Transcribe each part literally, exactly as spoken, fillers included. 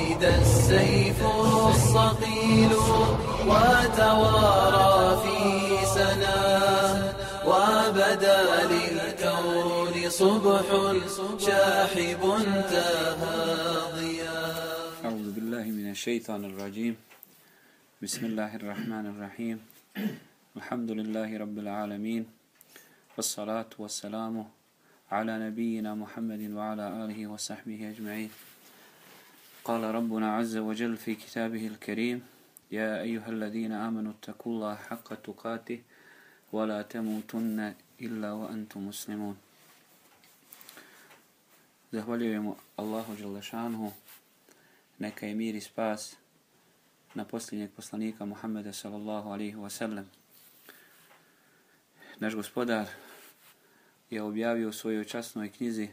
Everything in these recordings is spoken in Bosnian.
ولد السيف الصقيل وتوارى في سنا وبدا للكون صبح شاحب تهاضيا. أعوذ بالله من الشيطان الرجيم. بسم الله الرحمن الرحيم. الحمد لله رب العالمين، والصلاة والسلام على نبينا محمد وعلى آله وصحبه أجمعين. قال ربنا عز وجل في كتابه الكريم: يا أيها الذين آمنوا اتقوا الله حق تقاته ولا تموتن إلا وأنتم مسلمون. Zahvaljujemo Allahu dželle šanuhu, neka je mir i spas na posljednjeg poslanika Muhammeda sallallahu alaihi wa sallam. Naš gospodar je objavio u svojoj časnoj knjizi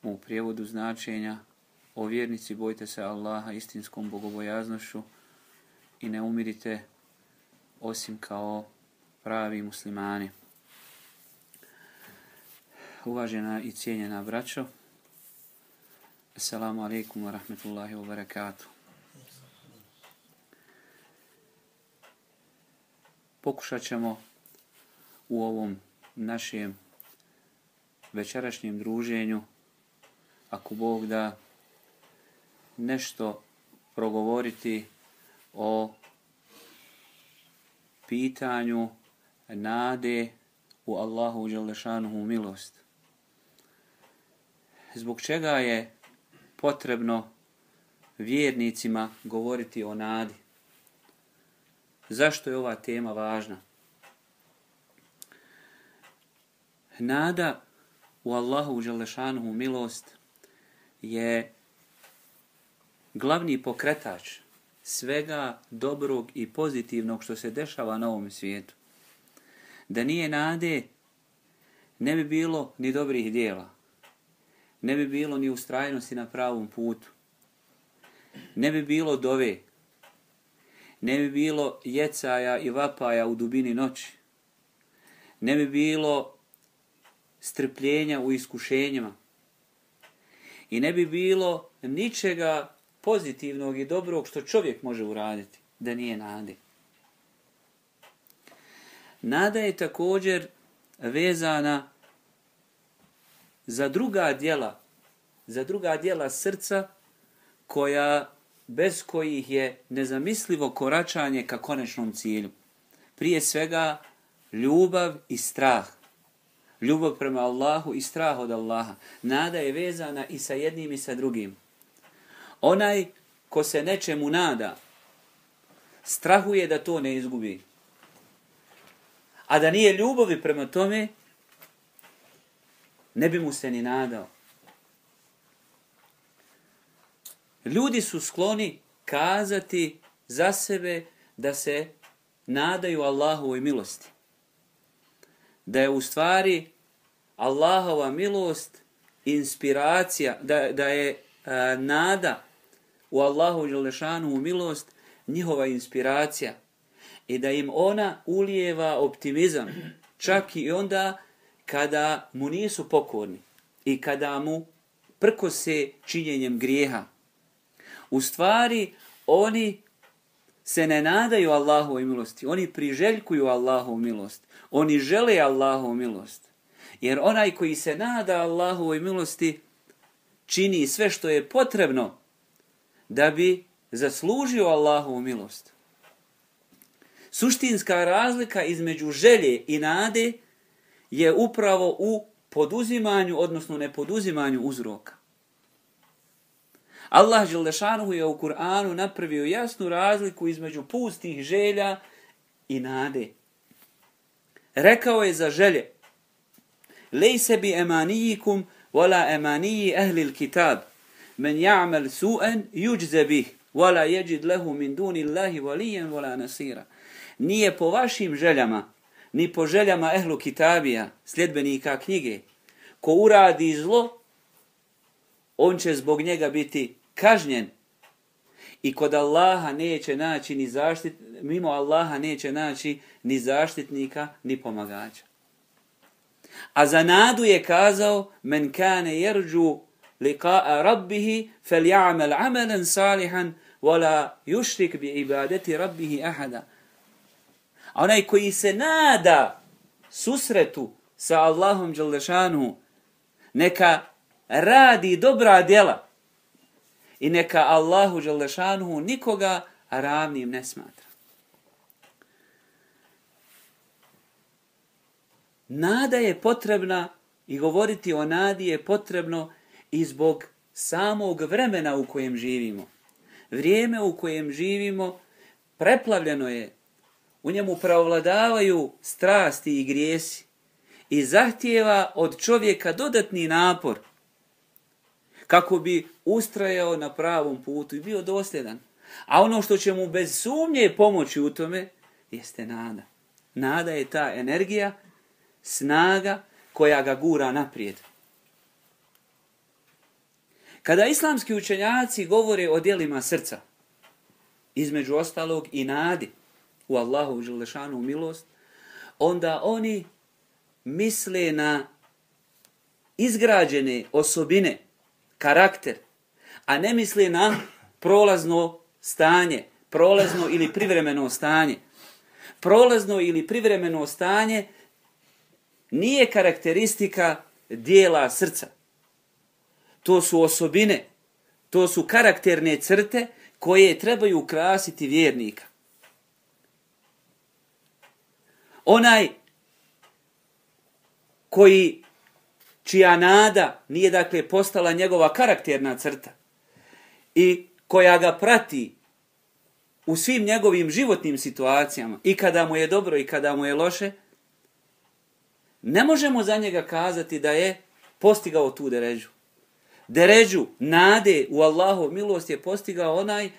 u prijevodu značenja: o vjernici, bojte se Allaha istinskom bogobojaznošću i ne umirite osim kao pravi muslimani. Uvažena i cijenjena braćo, assalamu alaikum wa rahmetullahi wa barakatuh. Pokušat ćemo u ovom našem večerašnjem druženju, ako Bog da, nešto progovoriti o pitanju nade u Allahu dželle šanuhu milost. Zbog čega je potrebno vjernicima govoriti o nadi? Zašto je ova tema važna? Nada u Allahu dželle šanuhu milost je glavni pokretač svega dobrog i pozitivnog što se dešava na ovom svijetu. Da nije nade, ne bi bilo ni dobrih djela, ne bi bilo ni ustrajnosti na pravom putu, ne bi bilo dove, ne bi bilo jecaja i vapaja u dubini noći, ne bi bilo strpljenja u iskušenjima i ne bi bilo ničega pozitivnog i dobrog što čovjek može uraditi da nije nade. Nada je također vezana za druga djela, za druga djela srca koja, bez kojih je nezamislivo koračanje ka konačnom cilju. Prije svega ljubav i strah. Ljubav prema Allahu i strah od Allaha. Nada je vezana i sa jednim i sa drugim. Onaj ko se nečemu nada, strahuje da to ne izgubi. A da nije ljubavi prema tome, ne bi mu se ni nadao. Ljudi su skloni kazati za sebe da se nadaju Allahovoj milosti. Da je u stvari Allahova milost inspiracija, da, da je a, nada u Allahu dželle šanuhu milost njihova inspiracija i da im ona ulijeva optimizam čak i onda kada mu nisu pokorni i kada mu prkose činjenjem grijeha. U stvari oni se ne nadaju Allahovoj milosti, oni priželjkuju Allahovu milost, oni žele Allahovu milost. Jer onaj koji se nada Allahovoj milosti čini sve što je potrebno da bi zaslužio Allahovu milost. Suštinska razlika između želje i nade je upravo u poduzimanju, odnosno nepoduzimanju uzroka. Allah dželle šanuhu je u Kur'anu napravio jasnu razliku između pustih želja i nade. Rekao je za želje: lejse bi emanijikum wala emaniji ehlil kitab, men ja'mal su'an yujza bih, wala yajid lahu min duni Allahi waliyan wala nasira. Nije po vašim željama, ni po željama ehlu kitabija, sljedbenika knjige. Ko uradi zlo, on će zbog njega biti kažnjen. I kod Allaha neće naći ni zaštit, mimo Allaha neće naći ni zaštitnika, ni pomagača. A za nadu je kazao: men kane yerđu liqa'a rabbih falyamal 'amalan salihan wala yushrik bi ibadati rabbih ahada. A onaj koji se nada susretu sa Allahom dželle šanuhu, neka radi dobra djela i neka Allahu dželle šanuhu nikoga ravnim ne smatra. Nada je potrebna i govoriti o nadi je potrebno i zbog samog vremena u kojem živimo. Vrijeme u kojem živimo preplavljeno je, u njemu preovladavaju strasti i grijesi i zahtijeva od čovjeka dodatni napor kako bi ustrajao na pravom putu i bio dosljedan. A ono što će mu bez sumnje pomoći u tome jeste nada. Nada je ta energija, snaga koja ga gura naprijed. Kada islamski učenjaci govore o djelima srca, između ostalog i nadi u Allahu dželle šanuhu milost, onda oni misle na izgrađene osobine, karakter, a ne misle na prolazno stanje, prolazno ili privremeno stanje. Prolazno ili privremeno stanje nije karakteristika dijela srca. To su osobine, to su karakterne crte koje trebaju ukrasiti vjernika. Onaj koji, čija nada nije dakle postala njegova karakterna crta i koja ga prati u svim njegovim životnim situacijama, i kada mu je dobro i kada mu je loše, ne možemo za njega kazati da je postigao tu deređu. Deređu nade u Allahov milost je postigao onaj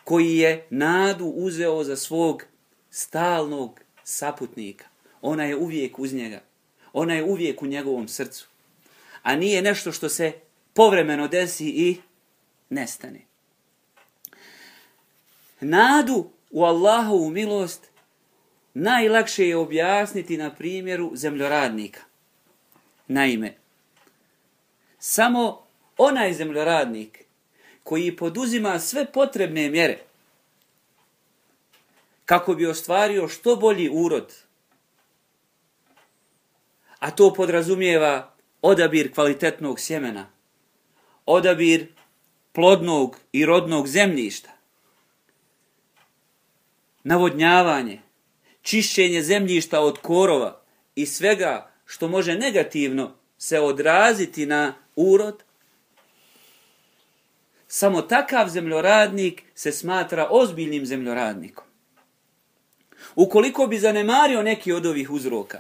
koji je nadu uzeo za svog stalnog saputnika. Ona je uvijek uz njega. Ona je uvijek u njegovom srcu. A nije nešto što se povremeno desi i nestane. Nadu u Allahovu milost najlakše je objasniti na primjeru zemljoradnika. Naime, samo onaj zemljoradnik koji poduzima sve potrebne mjere kako bi ostvario što bolji urod, a to podrazumijeva odabir kvalitetnog sjemena, odabir plodnog i rodnog zemljišta, navodnjavanje, čišćenje zemljišta od korova i svega što može negativno se odraziti na urod, samo takav zemljoradnik se smatra ozbiljnim zemljoradnikom. Ukoliko bi zanemario neki od ovih uzroka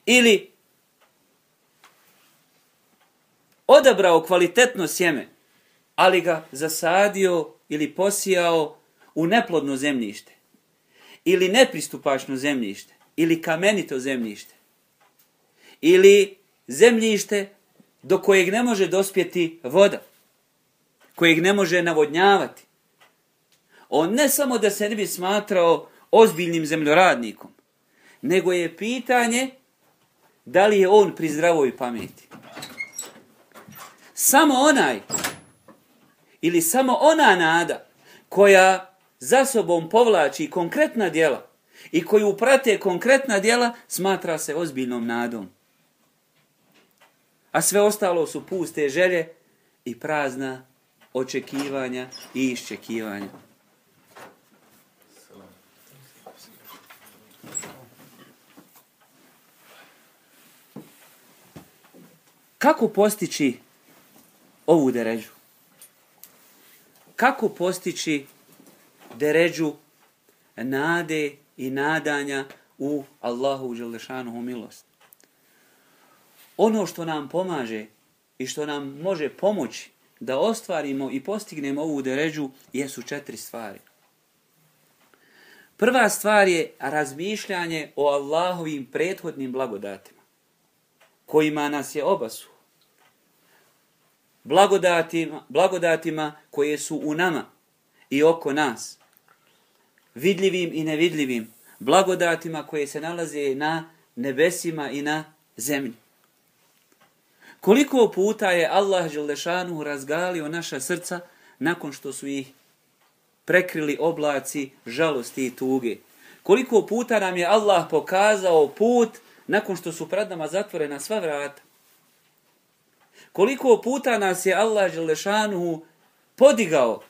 ili odabrao kvalitetno sjeme, ali ga zasadio ili posijao u neplodno zemljište, ili nepristupačno zemljište, ili kamenito zemljište, ili zemljište do kojeg ne može dospjeti voda, kojeg ne može navodnjavati, on ne samo da se ne bi smatrao ozbiljnim zemljoradnikom, nego je pitanje da li je on pri zdravoj pameti. Samo onaj ili samo ona nada koja za sobom povlači konkretna djela i koju prate konkretna djela smatra se ozbiljnom nadom. A sve ostalo su puste želje i prazna očekivanja i iščekivanja. Kako postići ovu deređu? Kako postići deređu nade i nadanja u Allahu dželle šanuhu milost? Ono što nam pomaže i što nam može pomoći da ostvarimo i postignemo ovu deređu jesu četiri stvari. Prva stvar je razmišljanje o Allahovim prethodnim blagodatima, kojima nas je obasuo. Blagodatima, blagodatima koje su u nama i oko nas, vidljivim i nevidljivim, blagodatima koje se nalaze na nebesima i na zemlji. Koliko puta je Allah dželešanu razgalio naša srca nakon što su ih prekrili oblaci žalosti i tuge. Koliko puta nam je Allah pokazao put nakon što su pred nama zatvorena sva vrata. Koliko puta nas je Allah dželešanu podigao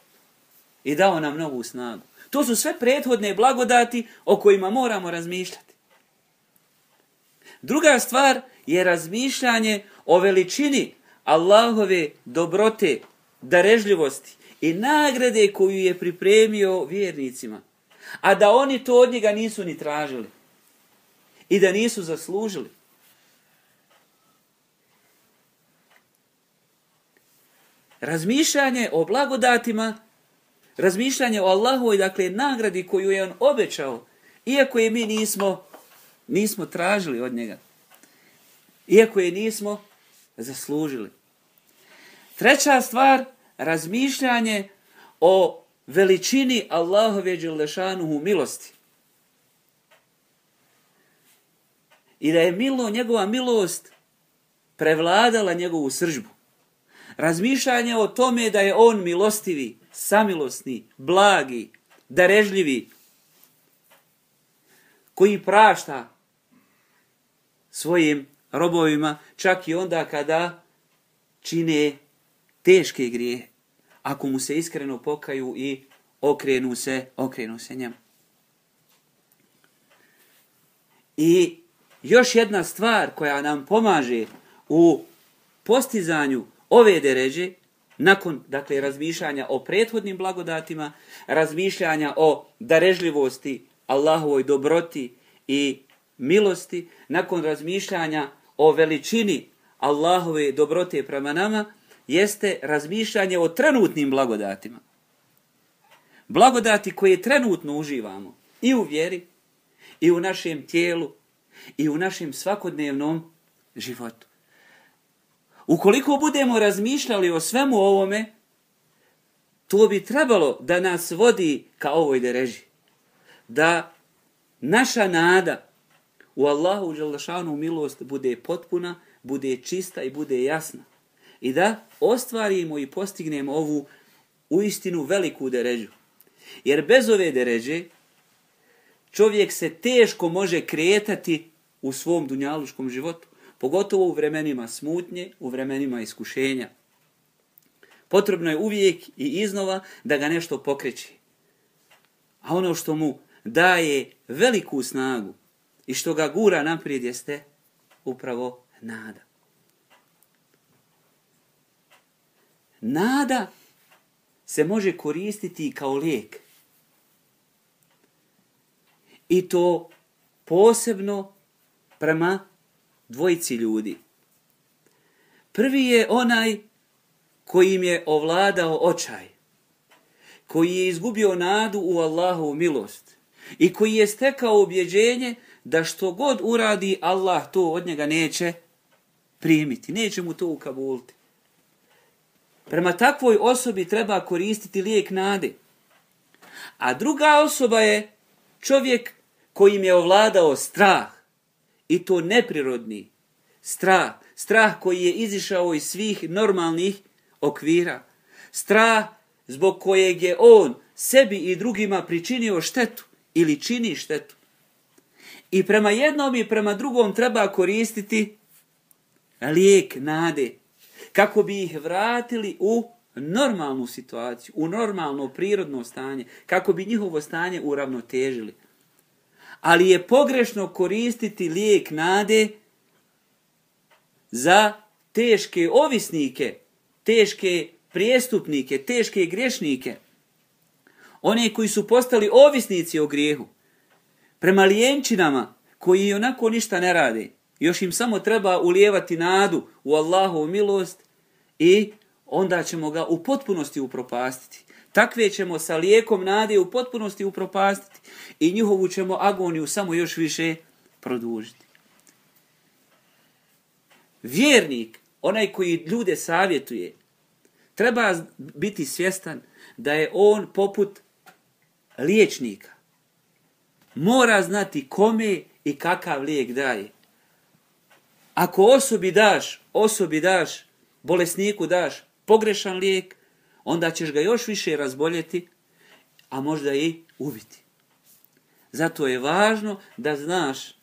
i dao nam novu snagu. To su sve prethodne blagodati o kojima moramo razmišljati. Druga stvar je razmišljanje o veličini Allahove dobrote, darežljivosti i nagrade koju je pripremio vjernicima. A da oni to od njega nisu ni tražili i da nisu zaslužili. Razmišljanje o blagodatima, razmišljanje o Allahovoj, dakle, nagradi koju je on obećao, iako je mi nismo, nismo tražili od njega. Iako je nismo zaslužili. Treća stvar, razmišljanje o veličini Allahove dželešanuhu milosti. I da je milo, njegova milost prevladala njegovu srdžbu. Razmišljanje o tome da je on milostivi, samilosni, blagi, darežljivi, koji prašta svojim robovima, čak i onda kada čine teške grijehe, ako mu se iskreno pokaju i okrenu se, okrenu se njemu. I još jedna stvar koja nam pomaže u postizanju ove deređe, nakon, dakle, razmišljanja o prethodnim blagodatima, razmišljanja o darežljivosti, Allahovoj dobroti i milosti, nakon razmišljanja o veličini Allahove dobrote prema nama, jeste razmišljanje o trenutnim blagodatima. Blagodati koje trenutno uživamo i u vjeri, i u našem tijelu, i u našem svakodnevnom životu. Ukoliko budemo razmišljali o svemu ovome, to bi trebalo da nas vodi ka ovoj dereži. Da naša nada u Allahu dželešanu milost bude potpuna, bude čista i bude jasna. I da ostvarimo i postignemo ovu uistinu veliku deređu. Jer bez ove deređe čovjek se teško može kretati u svom dunjaluškom životu. Pogotovo u vremenima smutnje, u vremenima iskušenja. Potrebno je uvijek i iznova da ga nešto pokreće. A ono što mu daje veliku snagu i što ga gura naprijed jeste upravo nada. Nada se može koristiti kao lijek. I to posebno prema dvojici ljudi. Prvi je onaj kojim je ovladao očaj, koji je izgubio nadu u Allahovu milost i koji je stekao ubjeđenje da što god uradi, Allah to od njega neće primiti, neće mu to ukabuliti. Prema takvoj osobi treba koristiti lijek nade. A druga osoba je čovjek kojim je ovladao strah. I to neprirodni strah. Strah koji je izišao iz svih normalnih okvira. Strah zbog kojeg je on sebi i drugima pričinio štetu ili čini štetu. I prema jednom i prema drugom treba koristiti lijek nade. Kako bi ih vratili u normalnu situaciju, u normalno prirodno stanje. Kako bi njihovo stanje uravnotežili. Ali je pogrešno koristiti lijek nade za teške ovisnike, teške prijestupnike, teške griješnike. One koji su postali ovisnici o grijehu. Prema lijenčinama koji onako ništa ne rade. Još im samo treba ulijevati nadu u Allahovu milost i onda ćemo ga u potpunosti upropastiti. Takve ćemo sa lijekom nade u potpunosti upropastiti i njihovu ćemo agoniju samo još više produžiti. Vjernik, onaj koji ljude savjetuje, treba biti svjestan da je on poput liječnika. Mora znati kome i kakav lijek daje. Ako osobi daš, osobi daš, bolesniku daš pogrešan lijek, onda ćeš ga još više razboljeti, a možda i ubiti. Zato je važno da znaš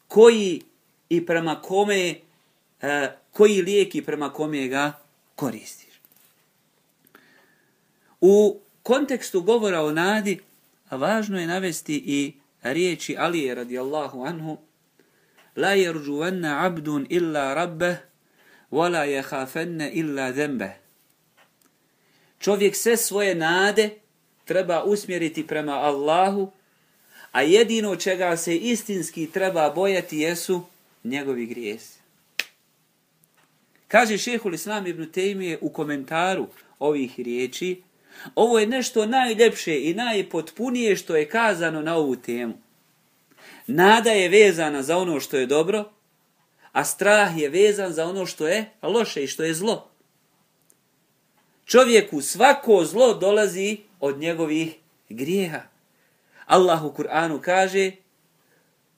koji i prema kome, e, koji lijek i prema kome ga koristiš. U kontekstu govora o nadi, važno je navesti i riječi Alije radijallahu anhu: La yarjuwanna abdun illa rabbeh, wa la yakhafenna illa dhanbeh. Čovjek sve svoje nade treba usmjeriti prema Allahu, a jedino čega se istinski treba bojati jesu njegovi grijesi. Kaže šejhul Islam ibn Tejmije u komentaru ovih riječi: ovo je nešto najljepše i najpotpunije što je kazano na ovu temu. Nada je vezana za ono što je dobro, a strah je vezan za ono što je loše i što je zlo. Čovjeku svako zlo dolazi od njegovih grijeha. Allah u Kur'anu kaže: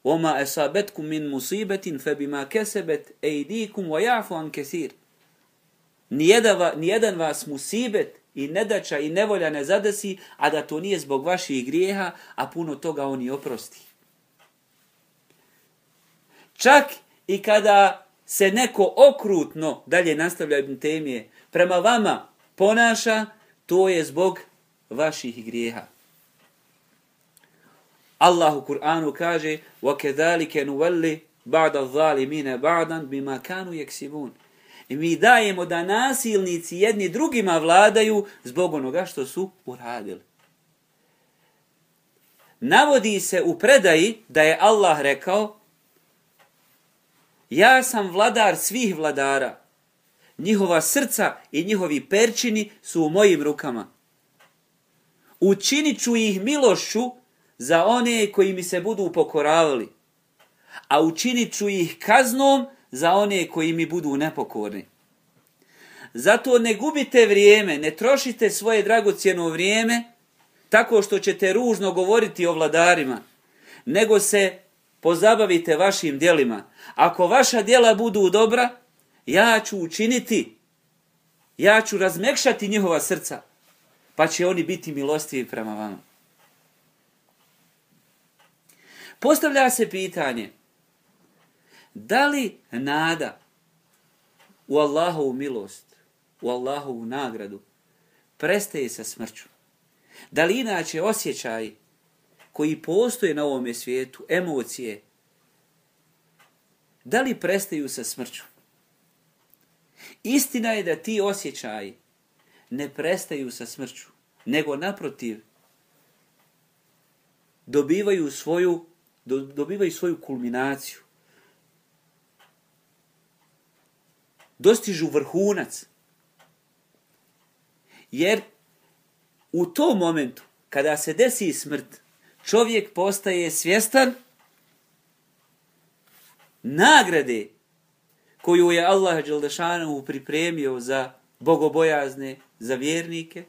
وَمَا أَصَابَتْكُمْ مِنْ مُصِيبَةٍ فَبِمَا كَسَبَتْ أَيْدِيكُمْ وَيَعْفُ عَنْ كَثِيرٍ. Nijedan, nijedan vas musibet i nedača i nevolja ne zadesi, a da to nije zbog vaših grijeha, a puno toga oni oprosti. Čak i kada se neko okrutno, dalje nastavlja Ibn Tejmije, prema vama ponaša, to je zbog vaših grijeha. Allah u Kur'anu kaže: وَكَذَلِكَ نُوَلِّ بَعْدَ الظَّالِمِينَ بَعْدًا بِمَا كَانُوا يَكْسِبُونَ. I mi dajemo da nasilnici jedni drugima vladaju zbog onoga što su uradili. Navodi se u predaji da je Allah rekao: ja sam vladar svih vladara. Njihova srca i njihovi perčini su u mojim rukama. Učinit ću ih milošću za one koji mi se budu pokoravali, a učinit ću ih kaznom za one koji mi budu nepokorni. Zato ne gubite vrijeme, ne trošite svoje dragocjeno vrijeme tako što ćete ružno govoriti o vladarima, nego se pozabavite vašim djelima. Ako vaša djela budu dobra, ja ću učiniti, ja ću razmekšati njihova srca, pa će oni biti milostivi prema vama. Postavlja se pitanje: da li nada u Allahovu milost, u Allahovu nagradu prestaje sa smrću? Da li inače osjećaj koji postoje na ovome svijetu, emocije, da li prestaju sa smrću? Istina je da ti osjećaji ne prestaju sa smrću, nego naprotiv dobivaju svoju, do, dobivaju svoju kulminaciju. Dostižu vrhunac. Jer u tom momentu, kada se desi smrt, čovjek postaje svjestan nagrade koju je Allah dželešanu pripremio za bogobojazne, za vjernike,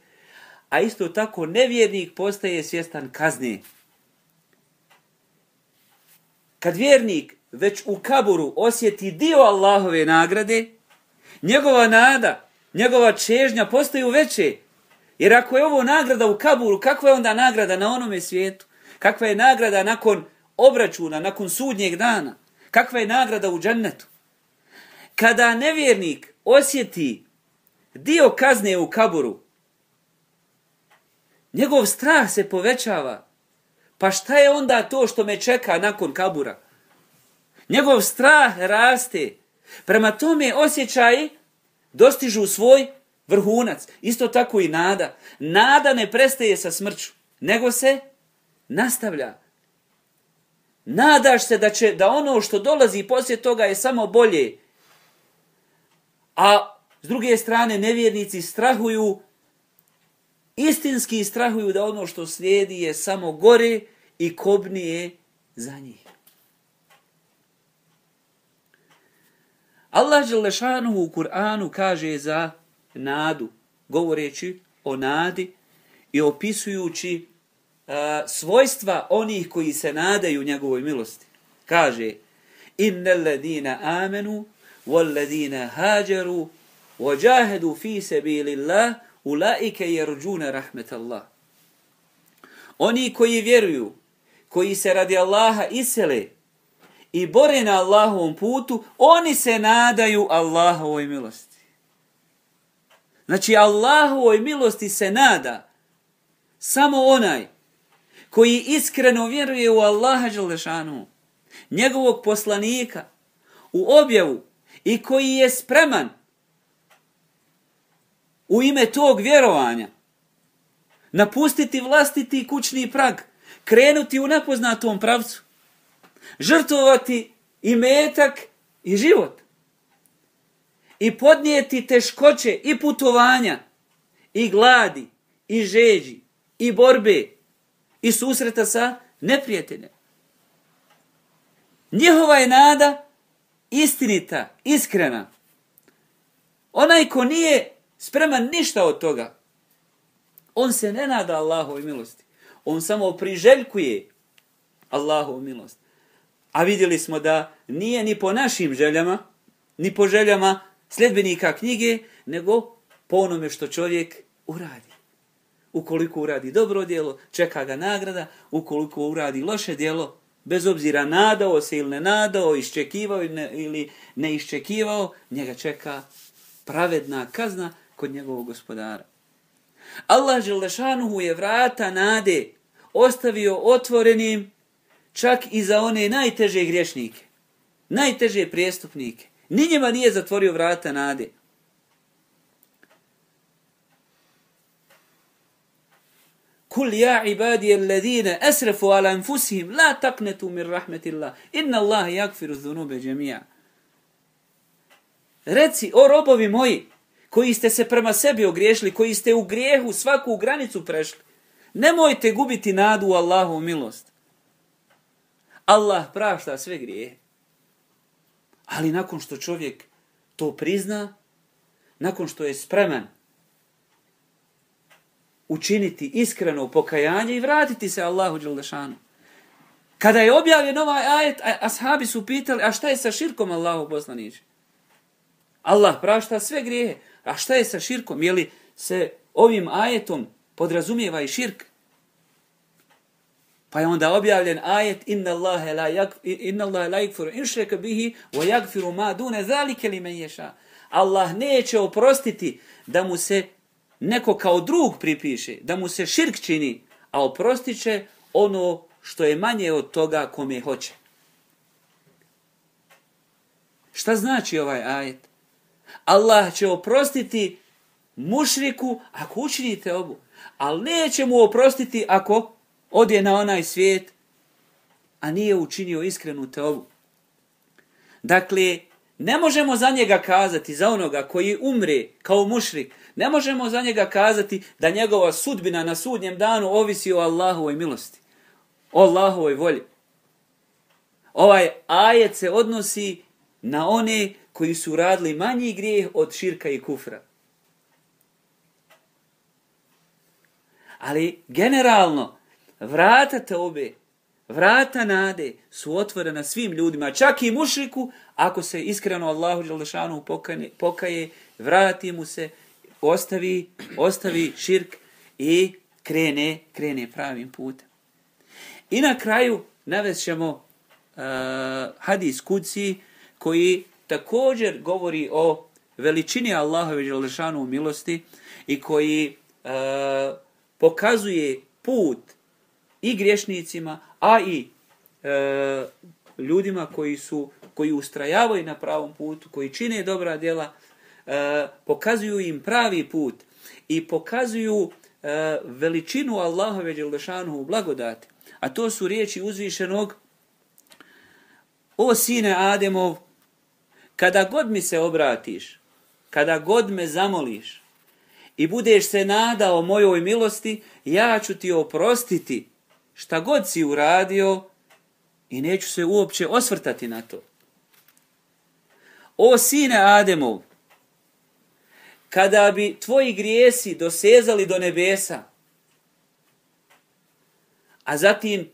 a isto tako nevjernik postaje svjestan kazne. Kad vjernik već u kaburu osjeti dio Allahove nagrade, njegova nada, njegova čežnja postaju veće. Jer ako je ovo nagrada u kaburu, kakva je onda nagrada na onome svijetu? Kakva je nagrada nakon obračuna, nakon sudnjeg dana? Kakva je nagrada u džennetu? Kada nevjernik osjeti dio kazne u kaburu, njegov strah se povećava. Pa šta je onda to što me čeka nakon kabura? Njegov strah raste. Prema tome osjećaji dostižu svoj vrhunac. Isto tako i nada. Nada ne prestaje sa smrću, nego se nastavlja. Nadaš se da će da ono što dolazi poslije toga je samo bolje. A s druge strane nevjernici strahuju, istinski strahuju da ono što slijedi je samo gore i kobnije za njih. Allah dželešanuhu u Kur'anu kaže za nadu, govoreći o nadi i opisujući uh, svojstva onih koji se nadaju njegovoj milosti. Kaže: innal ladina amanu wal ladina hajaru wajahadu fi sabilillah ulaika yarjuna rahmetallah. Oni koji vjeruju, koji se radi Allaha isele i bore na Allahovom putu, oni se nadaju Allahovoj milosti. Znači, Allahovoj milosti se nada samo onaj koji iskreno vjeruje u Allaha dželešanu, njegovog poslanika, u objavu i koji je spreman u ime tog vjerovanja napustiti vlastiti kućni prag, krenuti u nepoznatom pravcu, žrtvovati i metak i život i podnijeti teškoće i putovanja i gladi i žeđi i borbe i susreta sa neprijateljem. Njihova je nada istinita, iskrena. Onaj ko nije spreman ništa od toga, on se ne nada Allahovoj milosti. On samo priželjkuje Allahovu milost. A vidjeli smo da nije ni po našim željama, ni po željama sljedbenika knjige, nego po onome što čovjek uradi. Ukoliko uradi dobro djelo, čeka ga nagrada. Ukoliko uradi loše djelo, bez obzira nadao se ili ne nadao, iščekivao ili ne iščekivao, njega čeka pravedna kazna kod njegovog gospodara. Allah dželešanuhu je vrata nade ostavio otvorenim čak i za one najteže griješnike, najteže prijestupnike. Ni njima nije zatvorio vrata nade. Kul ja ibadije alladine asrafu ala anfusihim la taqnetu min rahmetillah inna Allaha yaghfiru dhunube džemija. Reci, o robovi moji, koji ste se prema sebi ogriješili, koji ste u grijehu svaku granicu prešli, nemojte gubiti nadu u Allahovu milost. Allah prašta sve grijehe. Ali nakon što čovjek to prizna, nakon što je spreman učiniti iskreno pokajanje i vratiti se Allahu dželešanu. Kada je objavljen ovaj ajet, ashabi su pitali, a šta je sa širkom Allahu poslaniče? Allah prašta sve grijehe. A šta je sa širkom? Je li se ovim ajetom podrazumijeva i širk? Pa je onda objavljen ajet inna Allahe la yaghfiru in šreka bihi wa yaghfiru ma dune zalike limen yasha. Allah neće oprostiti da mu se neko kao drug pripiše, da mu se širk čini, a oprostit će ono što je manje od toga kome hoće. Šta znači ovaj ajet? Allah će oprostiti mušriku ako učinite obu, ali neće mu oprostiti ako ode na onaj svijet, a nije učinio iskrenu teobu. Dakle, ne možemo za njega kazati, za onoga koji umre kao mušrik, ne možemo za njega kazati da njegova sudbina na sudnjem danu ovisi o Allahovoj milosti, o Allahovoj volji. Ovaj ajet se odnosi na one koji su radili manji grijeh od širka i kufra. Ali generalno, vrata teobe, vrata nade su otvorena svim ljudima, čak i mušriku, ako se iskreno Allahu dželešanu pokaje, vrati mu se, ostavi, ostavi širk i krene, krene pravim putem. I na kraju navest ćemo uh, hadis kudsi koji također govori o veličini Allahove dželešanu milosti i koji uh, pokazuje put i griješnicima, a i e, ljudima koji su koji ustrajavaju na pravom putu, koji čine dobra djela, e, pokazuju im pravi put i pokazuju e, veličinu Allahove dželešanu blagodati. A to su riječi uzvišenog: o sine Ademov, kada god mi se obratiš, kada god me zamoliš i budeš se nadao mojoj milosti, ja ću ti oprostiti šta god si uradio i neću se uopće osvrtati na to. O sine Ademov, kada bi tvoji grijesi dosezali do nebesa, a zatim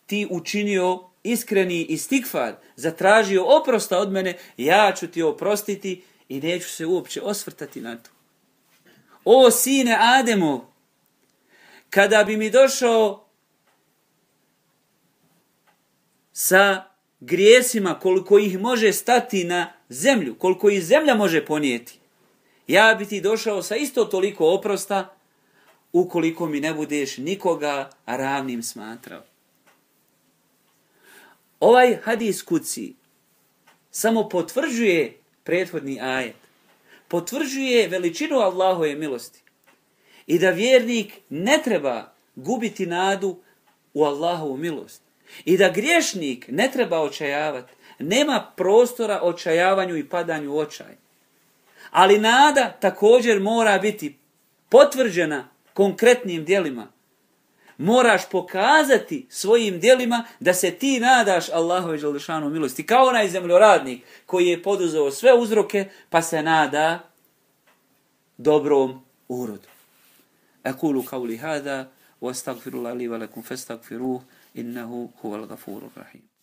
ti učinio iskreni istigfar, zatražio oprosta od mene, ja ću ti oprostiti i neću se uopće osvrtati na to. O sine Ademov, kada bi mi došao sa grijesima koliko ih može stati na zemlju, koliko ih zemlja može ponijeti, ja bi ti došao sa isto toliko oprosta ukoliko mi ne budeš nikoga ravnim smatrao. Ovaj hadis kuci samo potvrđuje prethodni ajet. Potvrđuje veličinu Allahove milosti. I da vjernik ne treba gubiti nadu u Allahovu milost. I da griješnik ne treba očajavati. Nema prostora očajavanju i padanju u očaj. Ali nada također mora biti potvrđena konkretnim djelima. Moraš pokazati svojim djelima da se ti nadaš Allahove dželešanu milosti. Kao onaj zemljoradnik koji je poduzeo sve uzroke pa se nada dobrom urodu. Aqulu qawli hada wa astaghfirullaha li wa lakum fastaghfiruhu innahu huwal ghafurur rahim.